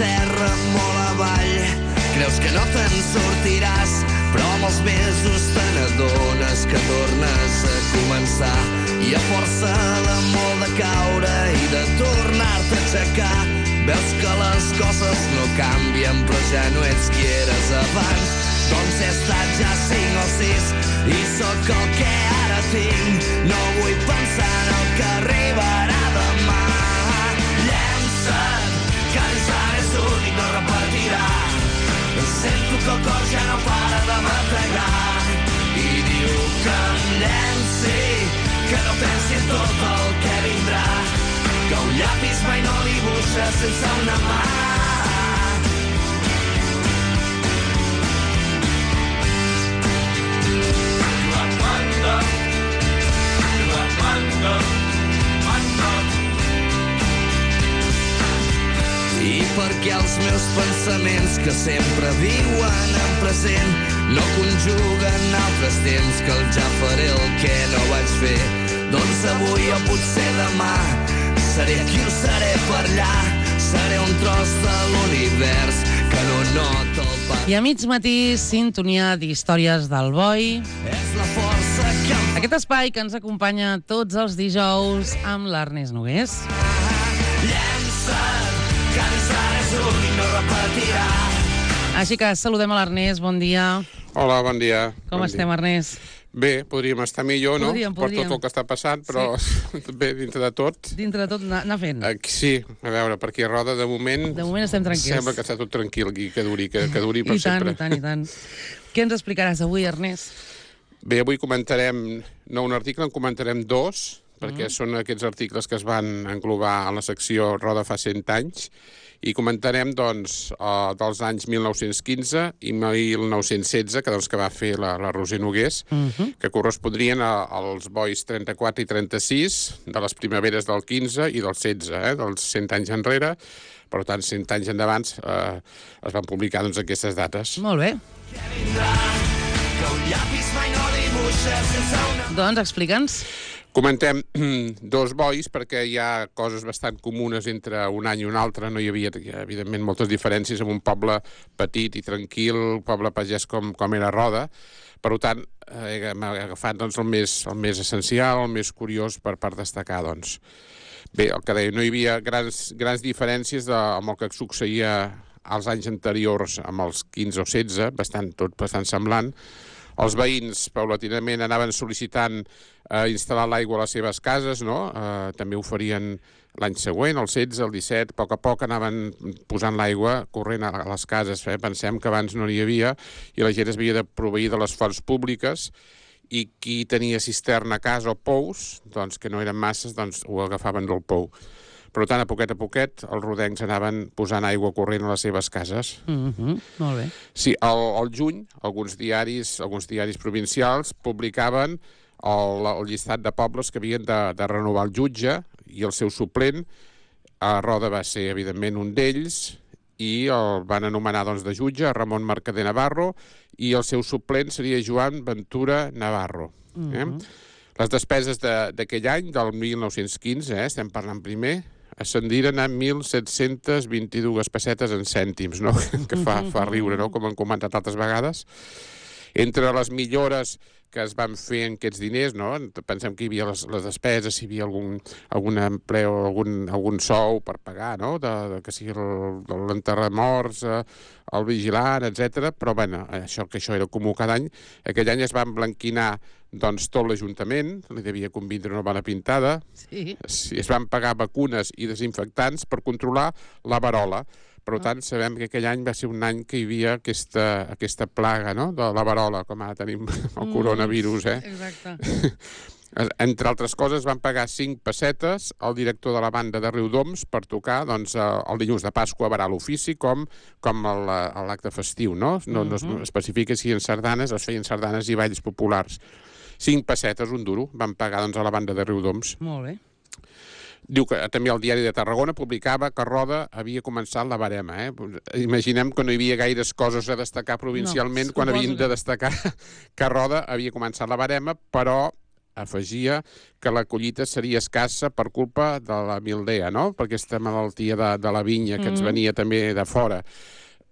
terra molt avall. Creus que no te'n sortiràs, però amb els mesos te n'adones que tornes a començar. I a força de molt de caure i de tornar-te a aixecar, veus que les coses no canvien, però ja no ets qui eres abans. Doncs he estat ja 5 o 6 i sóc el que ara tinc. No vull pensar en el que arribarà demà. Llença't, que l'Islam és únic, no repetirà. Sento que el cor ja no para de bategar i diu que em llenci, que no pensi en tot el que vindrà, que un llapis mai no dibuixa sense una mà. I perquè els meus pensaments, que sempre viuen en present, no conjuguen altres temps, que el ja faré el que no vaig fer. Doncs avui o potser demà seré aquí o seré per allà, seré un tros de l'univers que no nota el pas. I a mig matí, sintonia d'històries del Boi. És la força que em Aquest espai que ens acompanya tots els dijous amb l'Ernest Nogués. llença't, que l'Islam és únic, no repetirà. Així que saludem a l'Ernest, bon dia. Hola, bon dia. Com estem, Ernest? Bé, podríem estar millor, no? Podríem. Per tot el que està passant, però bé, dintre de tot. Dintre de tot, anar fent. Sí, a veure, per aquí a Roda, de moment... De moment estem tranquils. Sembla que està tot tranquil aquí, que duri per sempre. I tant. Què ens explicaràs avui, Ernest? Bé, avui comentarem, no un article, en comentarem 2, perquè són aquests articles que es van englobar a la secció Roda fa 100 anys, i comentarem, doncs, dels anys 1915 i 1916, que va fer la Roser Nogués, que correspondrien als bois 34 i 36, de les primaveres del 15 i del 16, dels 100 anys enrere. Per tant, 100 anys endavant es van publicar doncs, aquestes dates. Molt bé. Doncs explica'ns. Comentem 2 bois perquè hi ha coses bastant comunes entre un any i un altre. No hi havia, evidentment, moltes diferències en un poble petit i tranquil, un poble pagès com era Roda. Per tant, hem agafat doncs, el més essencial, el més curiós per destacar. Doncs. Bé, el que deia, no hi havia grans diferències amb el que succeïa als anys anteriors amb els 15 o 16, tot bastant semblant. Els veïns, paulatinament, anaven sol·licitant instal·lar l'aigua a les seves cases, no? També ho farien l'any següent, el 16, el 17, a poc anaven posant l'aigua corrent a les cases. Pensem que abans no n'hi havia i la gent es havia de proveir de les fonts públiques i qui tenia cisterna a casa o pous, doncs, que no eren masses, doncs ho agafaven del pou. Per tant, a poquet, els rodencs anaven posant aigua corrent a les seves cases. Molt bé. Sí, al juny, alguns diaris provincials publicaven el llistat de pobles que havien de renovar el jutge i el seu suplent. A Roda va ser, evidentment, un d'ells i el van anomenar doncs, de jutge a Ramon Mercader Navarro i el seu suplent seria Joan Ventura Navarro. Les despeses d'aquell any, del 1915, estem parlant primer, ascendiren a 1.722 pessetes en cèntims, no? Que fa riure, no? Com han comentat altres vegades. Entre les millores que es van fer en aquests diners, no? Pensem que hi havia les despeses, hi havia algun empleo, algun sou per pagar, no? Que sigui l'enterrar morts, el vigilant, etc. Però, bueno, això era comú cada any. Aquell any es van blanquinar doncs, tot l'Ajuntament, li devia convindre una bona pintada. Sí. Es van pagar vacunes i desinfectants per controlar la verola. Per tant, sabem que aquell any va ser un any que hi havia aquesta plaga, no?, de la verola, com ara tenim el coronavirus, Exacte. Entre altres coses, van pagar 5 pessetes al director de la banda de Riudoms per tocar doncs, el dilluns de Pasqua a verar l'ofici com l'acte festiu, no? No es especifica si en sardanes es feien sardanes i balls populars. 5 pessetes, un duro, van pagar doncs, a la banda de Riudoms. Molt bé. Diu que també el diari de Tarragona publicava que Roda havia començat la barema. Imaginem que no hi havia gaires coses a destacar provincialment quan havien de destacar que Roda havia començat la barema, però afegia que la collita seria escassa per culpa de la mildea, no? Per aquesta malaltia de la vinya que ens venia també de fora.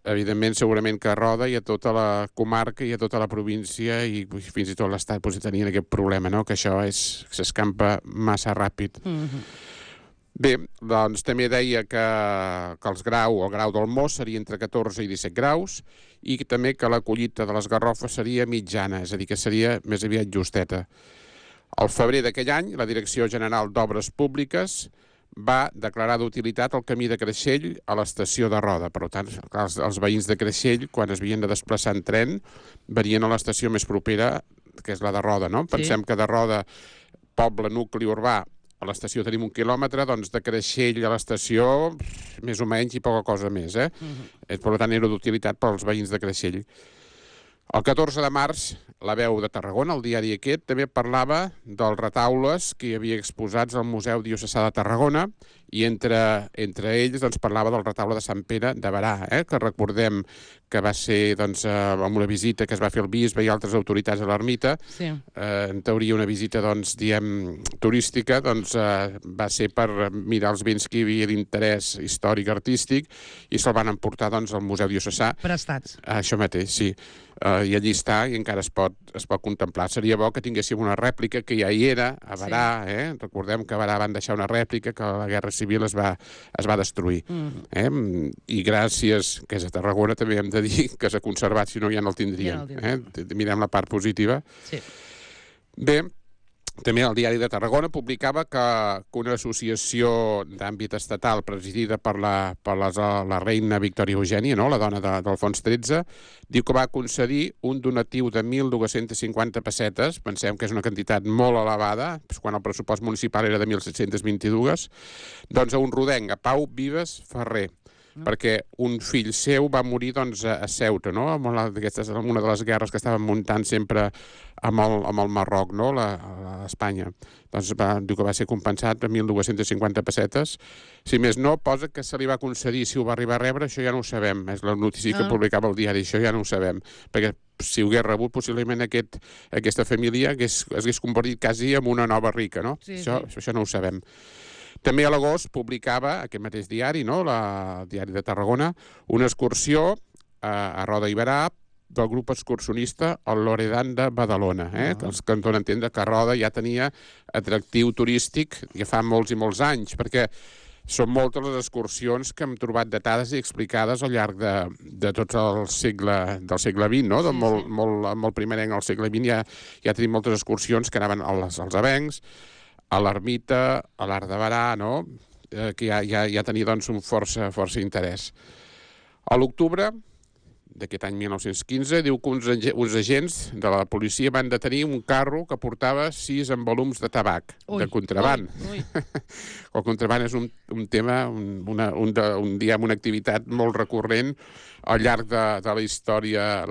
Evidentment, segurament que a Roda i a tota la comarca i a tota la província i fins i tot l'estat tenien aquest problema, no? Que això s'escampa massa ràpid. Bé, doncs també deia que el grau del mos seria entre 14 i 17 graus i també que la collita de les garrofes seria mitjana, és a dir, que seria més aviat justeta. Al febrer d'aquell any, la Direcció General d'Obres Públiques va declarar d'utilitat el camí de Creixell a l'estació de Roda. Per tant, els veïns de Creixell, quan es havien de desplaçar en tren, venien a l'estació més propera, que és la de Roda, no? Pensem que de Roda, poble, nucli urbà, a l'estació tenim 1 quilòmetre, doncs de Creixell a l'estació, més o menys i poca cosa més, eh? Per tant, era d'utilitat pels veïns de Creixell. El 14 de març, La Veu de Tarragona, el diari aquest, també parlava dels retaules que hi havia exposats al Museu Diocesà de Tarragona i entre ells doncs, parlava del retaule de Sant Pere de Berà, que recordem que va ser doncs, amb una visita que es va fer al bisbe i altres autoritats a l'ermita. Sí. En teoria una visita doncs, turística doncs, va ser per mirar els béns que hi havia d'interès històric artístic i se'l van emportar doncs, al Museu Diocesà. Prestats. Això mateix, sí. I allí està i encara es pot contemplar. Seria bo que tinguéssim una rèplica que ja hi era a Berà, Recordem que a Berà van deixar una rèplica que a la Guerra Civil es va destruir. I gràcies, que és a Tarragona, també hem de dir que s'ha conservat, si no ja no el tindríem. Mirem la part positiva. Sí. Bé, també el diari de Tarragona publicava que una associació d'àmbit estatal presidida per la reina Victòria Eugènia, no? La dona d'Alfons XIII, diu que va concedir un donatiu de 1.250 pessetes, pensem que és una quantitat molt elevada, quan el pressupost municipal era de 1.722, doncs a un rodenc, a Pau Vives Ferrer, perquè un fill seu va morir doncs, a Ceuta, no? En una de les guerres que estaven muntant sempre amb el Marroc, no? A Espanya. Doncs diu que va ser compensat per 1.250 pessetes. Si més no, posa que se li va concedir, si ho va arribar a rebre, això ja no ho sabem. És la notícia que publicava el diari, això ja no ho sabem. Perquè si ho hagués rebut, possiblement aquesta família es hagués convertit quasi en una nova rica, no? Sí, això no ho sabem. També a l'agost publicava, aquest mateix diari, no? El diari de Tarragona, una excursió a Roda i Berà del grup excursionista el Loredan de Badalona, que els que en donen a entendre que Roda ja tenia atractiu turístic ja fa molts i molts anys, perquè són moltes les excursions que hem trobat datades i explicades al llarg de tot del segle XX, no? Molt primerenc al segle XX ja tenim moltes excursions que anaven als avencs, a l'ermita, a l'Arc de Berà, no? Que ja tenia doncs, un força interès. A l'octubre d'aquest any 1915 diu que uns agents de la policia van detenir un carro que portava 6 envolums de tabac, de contraban. El contraban és un tema, una activitat molt recurrent al llarg de la història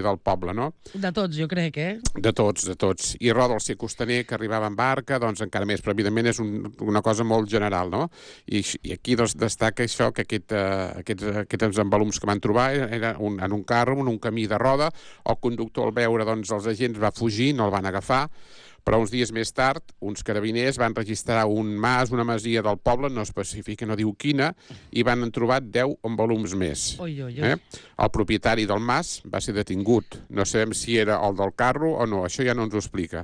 del poble, no? De tots, jo crec, De tots. I Roda, al ser costaner, que arribava en barca, doncs encara més, però evidentment és una cosa molt general, no? I aquí doncs, destaca això, que aquests envolums que van trobar eren en un carro, en un camí de Roda. El conductor, al veure doncs, els agents, va fugir, no el van agafar, però uns dies més tard, uns carabiners van registrar una masia del poble, no especifica, no diu quina, i van trobar 10 envolums més. El propietari del mas va ser detingut. No sabem si era el del carro o no, això ja no ens ho explica.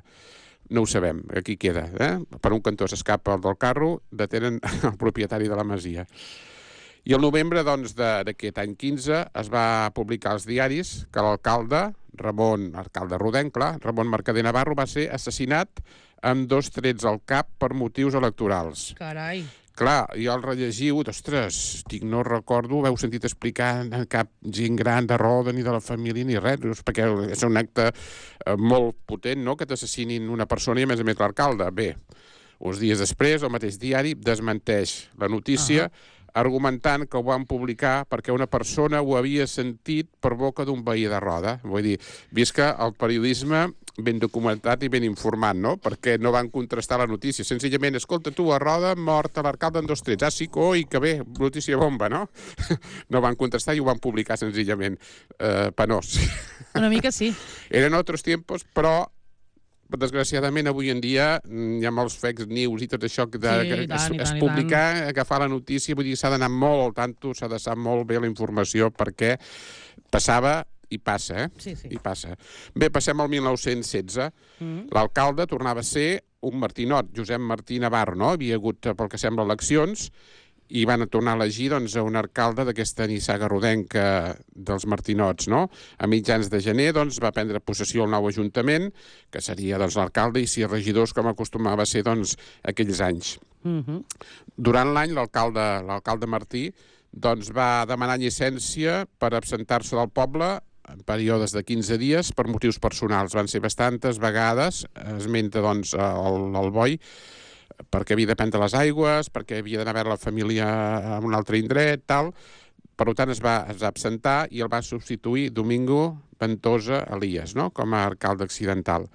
No ho sabem, aquí queda. Per un cantó s'escapa el del carro, detenen el propietari de la masia. I el novembre d'aquest any 15 es va publicar als diaris que l'alcalde rodenc, Ramon Mercader Navarro, va ser assassinat amb 2 trets al cap per motius electorals. Carai! Clar, jo el rellegiu, ostres, no recordo, ho heu sentit explicar cap gent gran de Roda ni de la família ni res, perquè és un acte molt potent, no?, que t'assassinin una persona i a més l'alcalde. Bé, uns dies després, el mateix diari desmenteix la notícia, argumentant que ho van publicar perquè una persona ho havia sentit per boca d'un veí de Roda. Vull dir, visca el periodisme ben documentat i ben informat, no? Perquè no van contrastar la notícia. Senzillament, escolta, tu, a Roda, mort a l'alcalde en 2 trets. Ah, sí, coi, que bé, notícia bomba, no? No van contrastar i ho van publicar senzillament. Penós. Una mica sí. Eren altres tiempos, però desgraciadament, avui en dia hi ha molts fake news i tot això es publicar, agafar la notícia, vull dir, s'ha d'anar molt al tanto, s'ha de saber molt bé la informació, perquè passava i passa, Sí. I passa. Bé, passem al 1916. L'alcalde tornava a ser un martinot, Josep Martí Navarro, no? Havia hagut, pel que sembla, eleccions, i van tornar a elegir doncs, un alcalde d'aquesta nissaga rodenca dels martinots, no? A mitjans de gener doncs, va prendre possessió el nou ajuntament, que seria doncs, l'alcalde i 6 regidors, com acostumava a ser doncs, aquells anys. Durant l'any, l'alcalde Martí doncs, va demanar llicència per absentar-se del poble en períodes de 15 dies per motius personals. Van ser bastantes vegades, esmenta doncs, el boi, perquè havia de prendre les aigües, perquè havia d'anar a veure la família en un altre indret, tal. Per tant, es va absentar i el va substituir Domingo Ventosa Elias, no? Com a alcalde accidental.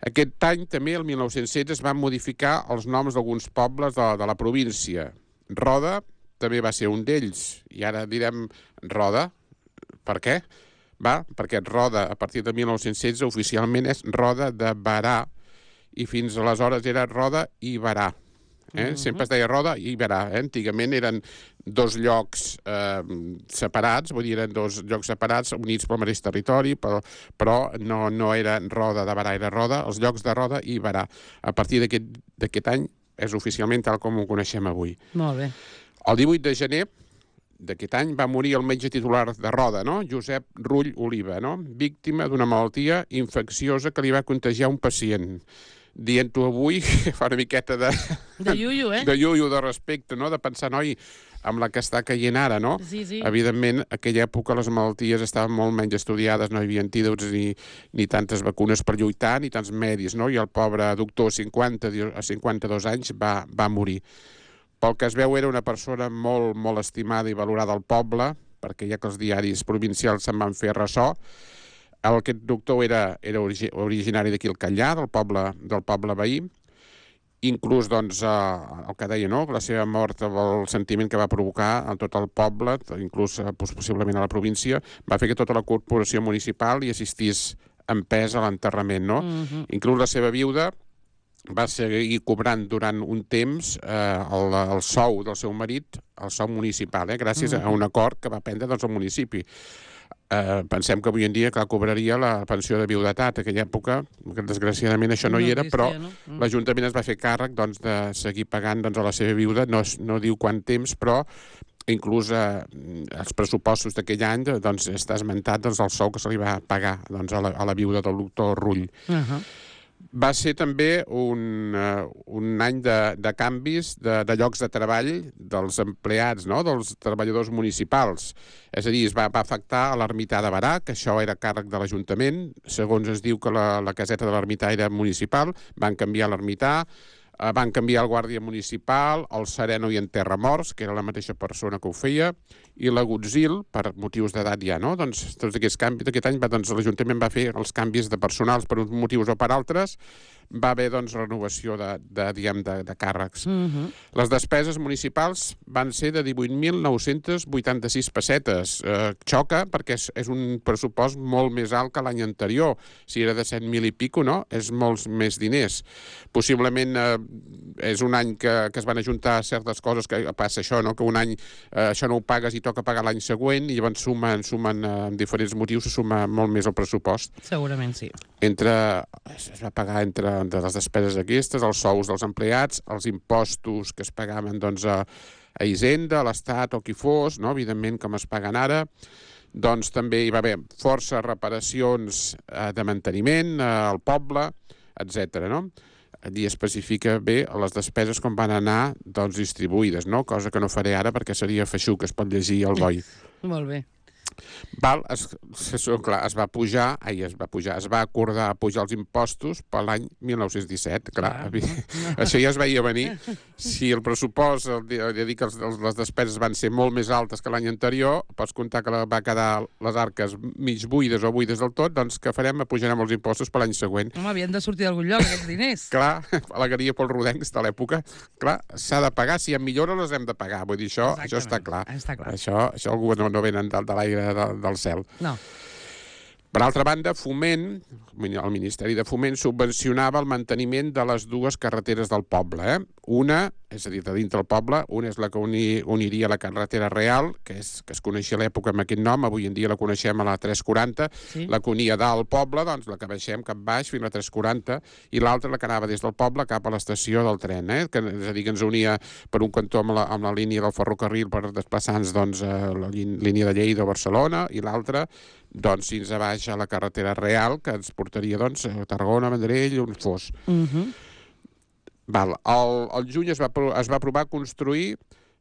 Aquest any, també, el 1916, es van modificar els noms d'alguns pobles de la província. Roda també va ser un d'ells, i ara direm Roda. Per què? Perquè Roda, a partir de 1916, oficialment és Roda de Barà, i fins aleshores era Roda i Barà. Sempre es deia Roda i Barà. Antigament eren dos llocs separats, vull dir, eren dos llocs separats, units pel mateix territori, però no era Roda de Barà, era Roda, els llocs de Roda i Barà. A partir d'aquest any és oficialment tal com ho coneixem avui. Molt bé. El 18 de gener d'aquest any va morir el metge titular de Roda, no? Josep Rull Oliva, no? Víctima d'una malaltia infecciosa que li va contagiar un pacient. Dient-ho avui, fa una miqueta de iuiu, de iuiu, de respecte, no? De pensar, noi, amb la que està caient ara, no? Sí. Evidentment, en aquella època les malalties estaven molt menys estudiades, no hi havia antídots ni tantes vacunes per lluitar, ni tants medis, no? I el pobre doctor, a 52 anys, va morir. Pel que es veu, era una persona molt, molt estimada i valorada al poble, perquè ja que els diaris provincials se'n van fer ressò. Aquest doctor era originari d'aquí al Catllà, del poble veí. Inclús, doncs, el que deia, no?, la seva mort, el sentiment que va provocar a tot el poble, inclús possiblement a la província, va fer que tota la corporació municipal hi assistís en pes a l'enterrament, no? Inclús la seva viuda va seguir cobrant durant un temps el sou del seu marit, el sou municipal, gràcies a un acord que va prendre doncs, el municipi. Pensem que avui en dia cobraria la pensió de viudetat. En aquella època, desgraciadament, això no hi era, però l'Ajuntament es va fer càrrec doncs, de seguir pagant doncs, a la seva viuda, no diu quant temps, però inclús els pressupostos d'aquell any doncs, està esmentat doncs, el sou que se li va pagar doncs, a la viuda del doctor Rull. Va ser també un any de canvis de llocs de treball dels empleats, no? Dels treballadors municipals. És a dir, es va afectar a l'ermità de Barà, que això era càrrec de l'Ajuntament. Segons es diu que la caseta de l'ermità era municipal, van canviar l'ermità, van canviar el guàrdia municipal, el sereno i enterramorts, que era la mateixa persona que ho feia, i l'agutzil, per motius d'edat ja, no? Doncs tots aquests canvis d'aquest any, l'Ajuntament va fer els canvis de personals per uns motius o per altres, va haver, doncs, renovació de càrrecs. Les despeses municipals van ser de 18.986 pessetes. Xoca, perquè és un pressupost molt més alt que l'any anterior. Si era de 7.000 i pico, no? És molts més diners. Possiblement és un any que es van ajuntar certes coses, que passa això, no? Que un any això no ho pagues i toca pagar l'any següent, i llavors sumen amb diferents motius, se suma molt més el pressupost. Segurament sí. Es va pagar entre les despeses aquestes, els sous dels empleats, els impostos que es pagaven doncs, a Hisenda, a l'Estat o qui fos, no? Evidentment com es paguen ara. Doncs també hi va haver força reparacions de manteniment al poble, etc. No? Allí especifica bé les despeses com van anar doncs, distribuïdes, no? Cosa que no faré ara perquè seria feixuc, es pot llegir al boi. Molt bé. Es va acordar pujar els impostos per l'any 1917. Clar, això ja es veia venir. Si el pressupost, les despeses van ser molt més altes que l'any anterior, pots comptar que va quedar les arques mig buides o buides del tot, doncs què farem? Pujarem els impostos per l'any següent. Home, havien de sortir d'algun lloc, aquests diners. Clar, alegaria pels rodencs de l'època. Clar, s'ha de pagar, si hi ha millores les hem de pagar. Vull dir, això està clar. Això algú no venen de l'aire del cel. No. Per altra banda, Foment, el Ministeri de Foment, subvencionava el manteniment de les dues carreteres del poble. Una, és a dir, de dintre del poble, una és la que uniria la carretera Real, que es coneixia a l'època amb aquest nom, avui en dia la coneixem a la 340, la que unia dalt al poble, doncs la que baixem cap baix fins a la 340, i l'altra la que anava des del poble cap a l'estació del tren, que, és a dir, que ens unia per un cantó amb la línia del ferrocarril per desplaçar-nos doncs, a la línia de Lleida o Barcelona, i l'altra doncs fins a baix a la carretera Real, que ens portaria doncs, a Tarragona, Vendrell, on fos. Al juny es va provar construir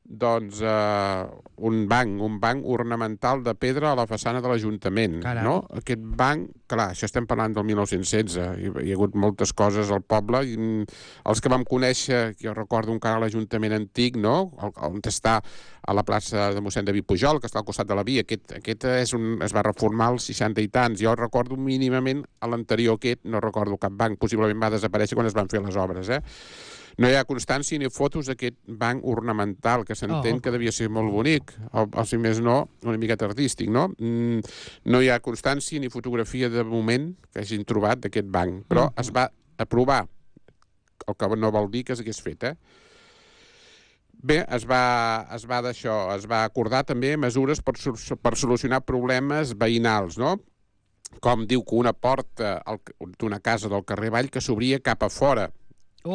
doncs, un banc ornamental de pedra a la façana de l'Ajuntament. No? Aquest banc, clar, això estem parlant del 1916, hi ha hagut moltes coses al poble, i els que vam conèixer, jo recordo encara l'Ajuntament antic, no? On està a la plaça de mossèn David Pujol, que està al costat de la via, aquest es va reformar als 60 i tants. Jo recordo mínimament a l'anterior aquest, no recordo cap banc, possiblement va desaparèixer quan es van fer les obres, No hi ha constància ni fotos d'aquest banc ornamental, que s'entén que devia ser molt bonic, o si més no, una miqueta artístic, no? No hi ha constància ni fotografia de moment que hagin trobat d'aquest banc, però es va aprovar, el que no vol dir que s'hagués fet, Bé, es va acordar també mesures per solucionar problemes veïnals, no? Com diu que una porta d'una casa del carrer Vall que s'obria cap a fora,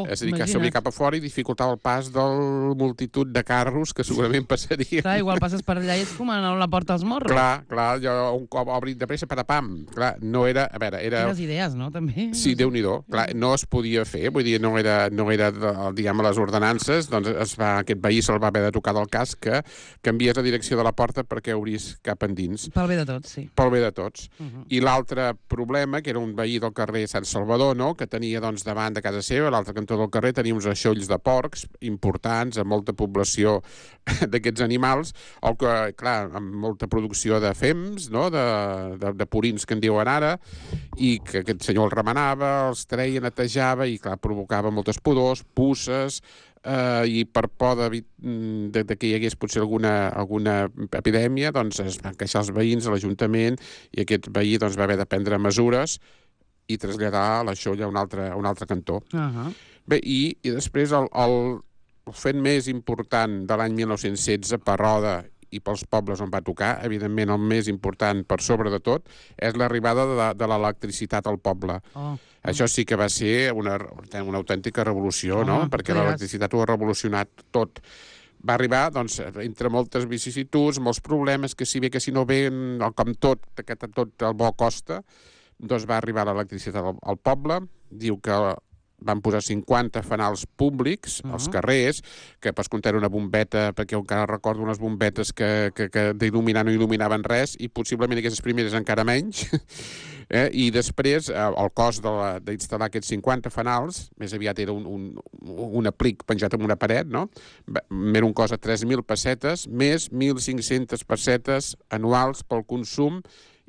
és a dir, que s'obria cap a fora i dificultava el pas del multitud de carros que segurament passarien. Clar, igual passes per allà i et fumen a la porta als morros. Clar, jo un cop obrit de pressa, patapam. Clar, no era... A veure, era... Quines idees, no, també? Sí, Déu-n'hi-do. Clar, no es podia fer, vull dir, no era diguem, a les ordenances, doncs aquest veí se'l va haver de tocar del cas que canvies la direcció de la porta perquè obrís cap endins. Pel bé de tots, sí. Pel bé de tots. I l'altre problema, que era un veí del carrer Sant Salvador, no?, que tenia, doncs, davant de casa seva, l'altre cantó del carrer, tenia uns aixolls de porcs importants, amb molta població d'aquests animals, o que, clar, amb molta producció de fems, no?, de purins que en diuen ara, i que aquest senyor els remenava, els treia, netejava, i, clar, provocava moltes pudors, puces, i per por que hi hagués potser alguna epidèmia, doncs es van queixar els veïns a l'Ajuntament, i aquest veí doncs, va haver de prendre mesures i traslladar l'aixoll a un altre cantó. Bé, i després el fet més important de l'any 1916 per Roda i pels pobles on va tocar, evidentment el més important per sobre de tot, és l'arribada de l'electricitat al poble. Això sí que va ser una autèntica revolució, no? Perquè l'electricitat ho ha revolucionat tot. Va arribar, doncs, entre moltes vicissituds, molts problemes, que si no ve, com tot, que tot el bo costa, doncs va arribar l'electricitat al poble. Diu que van posar 50 fanals públics als carrers, que per comptar una bombeta, perquè encara recordo unes bombetes que d'il·luminar no il·luminaven res, i possiblement aquestes primeres encara menys. I després el cost d'instal·lar aquests 50 fanals, més aviat era un aplic penjat en una paret, no? Era un cost de 3.000 pessetes, més 1.500 pessetes anuals pel consum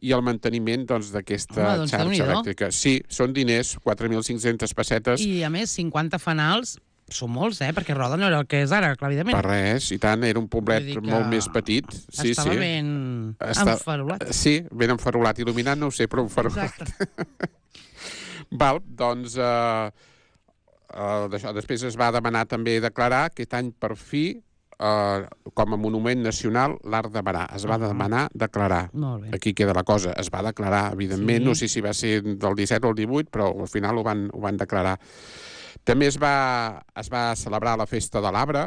i el manteniment d'aquesta xarxa elèctrica. Sí, són diners, 4.500 pessetes. I a més, 50 fanals són molts, perquè Roda no era el que és ara, clar, evidentment. Per res, i tant, era un poblet molt més petit. Estava ben enfarolat. Sí, ben enfarolat. Il·luminat no ho sé, però enfarolat. Val, doncs, després es va demanar també declarar aquest any per fi com a monument nacional l'Arc de Berà. Es va demanar declarar. Aquí queda la cosa. Es va declarar, evidentment. No sé si va ser del 17 o el 18, però al final ho van declarar. També es va celebrar la Festa de l'Arbre.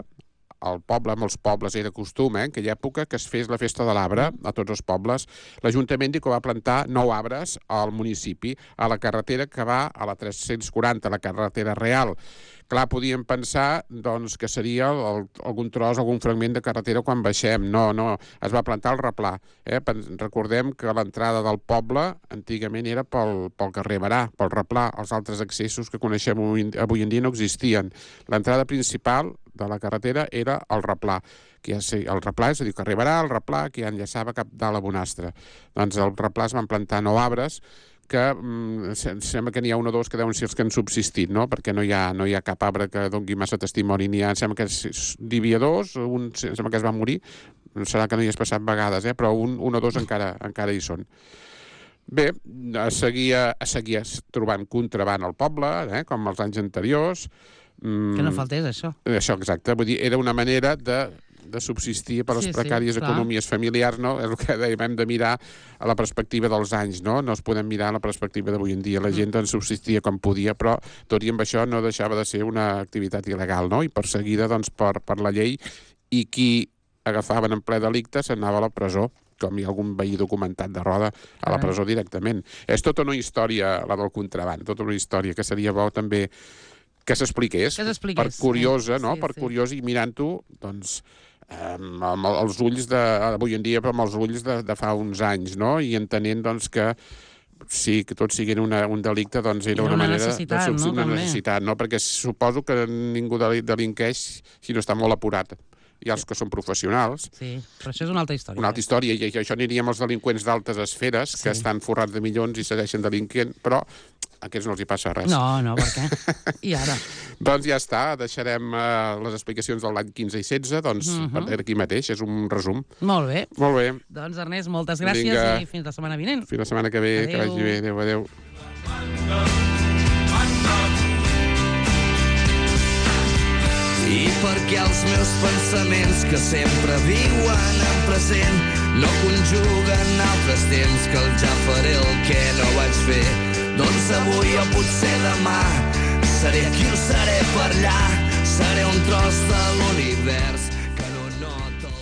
Al poble, a molts pobles, era costum, en aquella època, que es fes la Festa de l'Arbre a tots els pobles. L'Ajuntament diu que va plantar 9 arbres al municipi, a la carretera que va a la 340, la carretera Real. Clar, podíem pensar doncs, que seria algun tros, algun fragment de carretera quan baixem. No, es va plantar el replà. Recordem que l'entrada del poble antigament era pel carrer Berà, pel replà. Els altres accessos que coneixem avui en dia no existien. L'entrada principal de la carretera era el replà. El replà, és a dir, carrer Berà, el replà, que ja enllaçava cap dalt a Bonastre. Doncs al replà es van plantar 9 arbres que sembla que n'hi ha un o dos que deuen ser els que han subsistit, no? Perquè no hi ha cap arbre que doni massa testimoni. Sembla que n'hi havia 2, un sembla que es va morir, serà que no hi has passat vegades, però un o dos encara hi són. Bé, es seguia trobant contraban al poble, com els anys anteriors. Que no faltés això. Això, exacte. Vull dir, era una manera de subsistir per les precàries economies familiars, no? És el que dèiem, hem de mirar a la perspectiva dels anys, no? No es podem mirar a la perspectiva d'avui en dia. La gent doncs subsistia com podia, però tot i amb això no deixava de ser una activitat il·legal, no? I perseguida doncs per la llei, i qui agafaven en ple delicte s'anava a la presó, com hi ha algun veí documentat de Roda, a la presó directament. És tota una història, la del contraban, tota una història que seria bo també que s'expliqués, per curiosa, no? Per curiós, i mirant-ho, doncs, amb els ulls d'avui en dia, però amb els ulls de fa uns anys, no? I entenent, doncs, que sí, que tot sigui un delicte, doncs era una manera de subsistir, una necessitat, no? Perquè suposo que ningú delinqueix si no està molt apurat. Hi ha els que són professionals. Sí, però això és una altra història. Una altra història, i això aniríem als delinqüents d'altes esferes, que estan forrats de milions i segueixen delinquent, però a aquests no els hi passa res. No, per què? I ara? Doncs ja està, deixarem les explicacions de l'any 15 i 16, doncs per aquí mateix, és un resum. Molt bé. Molt bé. Doncs Ernest, moltes gràcies i fins la setmana vinent. Fins la setmana que ve, que vagi bé. Adéu, adéu. I perquè els meus pensaments que sempre viuen en present no conjuguen altres temps que el ja faré el que no vaig fer, doncs avui o potser demà seré aquí o seré per allà, seré un tros de l'univers